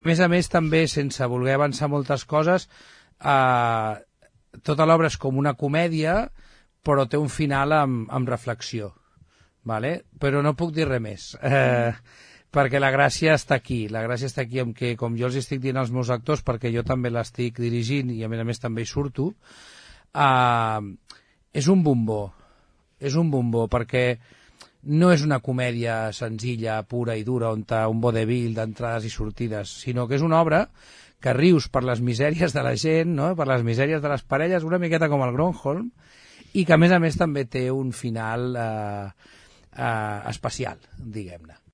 A més, també, sense voler avançar moltes coses, tota l'obra és com una comèdia, però té un final amb reflexió, vale? Però no puc dir res més, perquè la gràcia està aquí. La gràcia està aquí en que, com jo els estic dient als meus actors, perquè jo també l'estic dirigint i a més també hi surto, és un bombó, perquè no és una comèdia senzilla, pura i dura, on hi ha un vodevil d'entrades i sortides, sinó que és una obra que rius per les misèries de la gent, no? Per les misèries de les parelles, una miqueta com el Gronholm, i que a més també té un final especial, diguem-ne.